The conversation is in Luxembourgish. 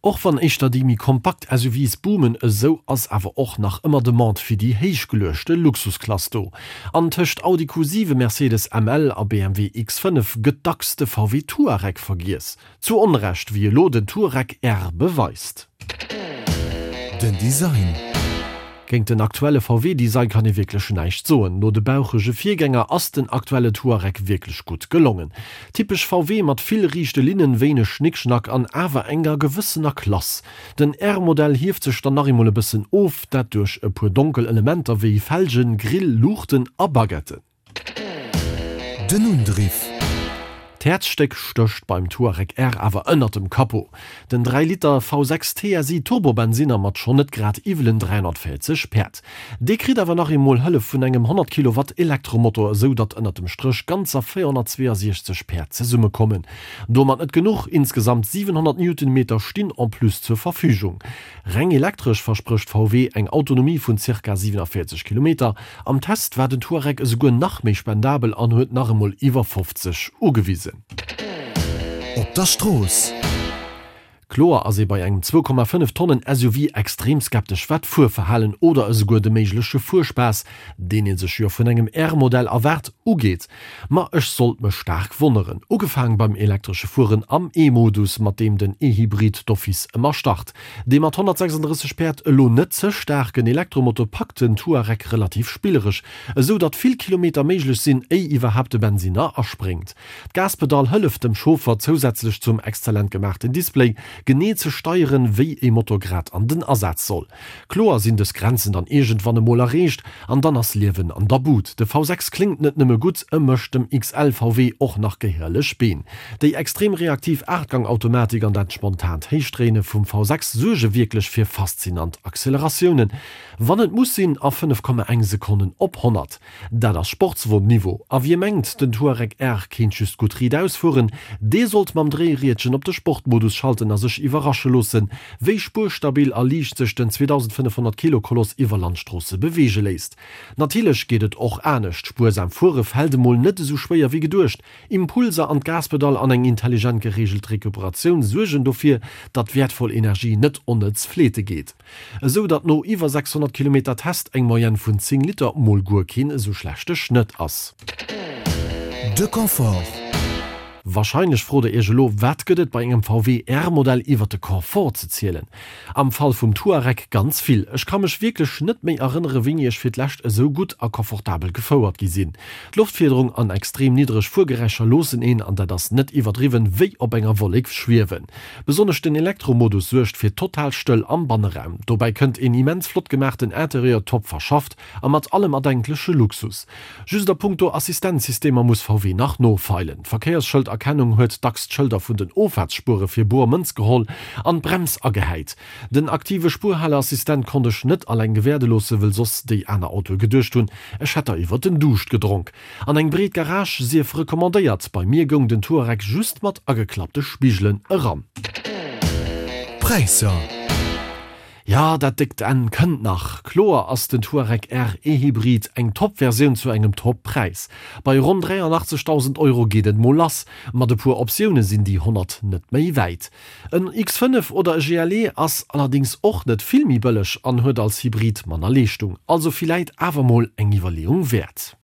Och wann éischter déi méi kompakt SUVs boomen, esou ass awer och nach ëmmer Demande fir déi héichgeluechte Luxusklass do. An tëscht Audi Q7, Mercedes ML a BMW X5 gëtt dacks de VW Touareg vergiess. Zu Onrecht, wéi elo den Touareg R beweist. Den Design. Géint den aktuelle VW-Design kann ee wierklech näischt soen. No de bauchege Virgänger ass den aktuelle Touareg wierklech gutt gelongen. Typesch VW mat vill riichte Linnen, wéineg Schnickschnack an awer enger gewëssener Klass. Den R-Modell hieft sech dann nach eemol e bëssen of, dat duerch e puer donkel Elementer wéi Felgen, Grill, Luuchten a Baguetten. Den Undriff. D'Häerzstéck stécht beim Touareg R awer ënnert dem Capot. Den 3 Liter V6 TSI Turbobensinner mat schonn net grad iwwelen 340 Päerd. Dee kritt awer nach eemol Hëllef vun engem 100 Kilowatt Elektromotor, esou datt ënnert dem Stréch ganzer 462 Päerd zesummekommen. Domat net genuch, insgesamt 700 Newtonmeter stinn en plus zur Verfügung. Reng elektresch versprécht VW eng Autonomie vun zirka 47 Kilometer. Am Test war den Touareg esouguer nach méi spendabel an huet nach emol iwwer 50 ugewisen. Op der Strooss. Kloer ass ee bei engem 2,5 Tonnen SUV extrem skeptesch wat d'Fuerverhalen oder esouguer de méigleche Fuerspaass, deen ee sech jo vun engem R-Modell erwaart, ugeet. Ma ech sollt mech staark wonneren. Ugefaang beim elektresche Fueren am E-Modus, mat deem den E-Hybrid d'office ëmmer start. Dee mat 136 Päerd elo net ze staarken Elektromotor packt den Touareg relativ spilleresch, esou datt vill Kilometer méiglech sinn, éi iwwerhaapt de Bensinner aspréngt. D'Gaspedall hëlleft dem Chauffer zousätzlech zum exzellent gemaachten Display, genee ze steieren, wéi ee Motor grad an den Asaz soll. Kloer sinn dës Grenzen dann iergendwann emol erreecht an dann ass Liewen an der Bud. De V6 kléngt net nëmme gutt, e mécht dem XL VW och nach gehéierlech Been. Déi extrem reaktiv Aachtgang-Automatik an dat spontant Héichdréine vum V6 suerge wierklech fir faszinant Acceleratiounen, wann et muss sinn, a 5,1 Sekonnen op 100. Dat ass Sportswon-Niveau. A wie mengt, den Touareg R kéint just gutt riitaus fueren, dee sollt mam Dréiriedchen op de Sportmodus schalten a sech iwwerrasche loossen, wéi spuerstabil a liicht sech den 2.500 Kilo Koloss iwwer Landstroosse beweege léisst. Natierlech geet et och anescht, Spuersam fuere fält emol net esou schwéier wéi geduecht. Impulser an d'Gaspedall an eng intelligent gereegelt Recuperatioun suergen dofir, datt wäertvoll Energie net onnëtz fleete geet. Esou datt no iwwer 600 Kilometer Test eng Moyenne vun 10 Liter mol guer keen esou schlechte Schnëtt ass. De Confort. Wahrscheinlech frot der iech elo, wat gëtt et bei engem VW R-Modell iwwert de Confort ze zielen? Am Fall vum Touareg ganz vill. Ech ka mech wierklech net méi erënnere wéini ech fir d'lescht esou gutt a confortabel gefouert gi sinn. D'Loftfiederung an extrem niddreg Fuergeräischer loossen een, an dat ass net iwwerdriwwen, wéi op enger Wollek schwiewen. Besonnesch den Elektromodus suergt fir total Stëll am Banneraum. Dobäi kënnt een immens flott gemaachten Interieur, top verschafft a mat allem erdenkleche Luxus. Just a punkto Assistenzsystemer muss VW nach nofeilen. D'Verkéiersschëlderkennung huet dacks d'Schëlder vun den Offaartsspuere fir boer Mënz geholl an d'Brems agehäit. Den aktive Spuerhaleassistent konnt ech net alleng gewäerde loosse, wëll soss déi aner Autoe geduecht hunn, ech hätt der iwwer den Duuscht gedronk. An eng breet Garage sief recommandéiert. Bei mir goung den Touareg just mat ageklappte Spigelen eran. Präisser. Jo, dat déckt Enn kënnt nach. Kloer ass den Touareg R E-Hybrid eng Top-Versioun zu engem Top-Präis. Bei ronn 83.000 Euro geet et mol lass. Mat e puer Optioune sinn déi 100 net méi wäit. En X5 oder e GLE ass allerdéngs och net vill méi bëlleg an huet als Hybrid manner Leeschtung. Also villäit awer mol eng Iwwerleeung wäert.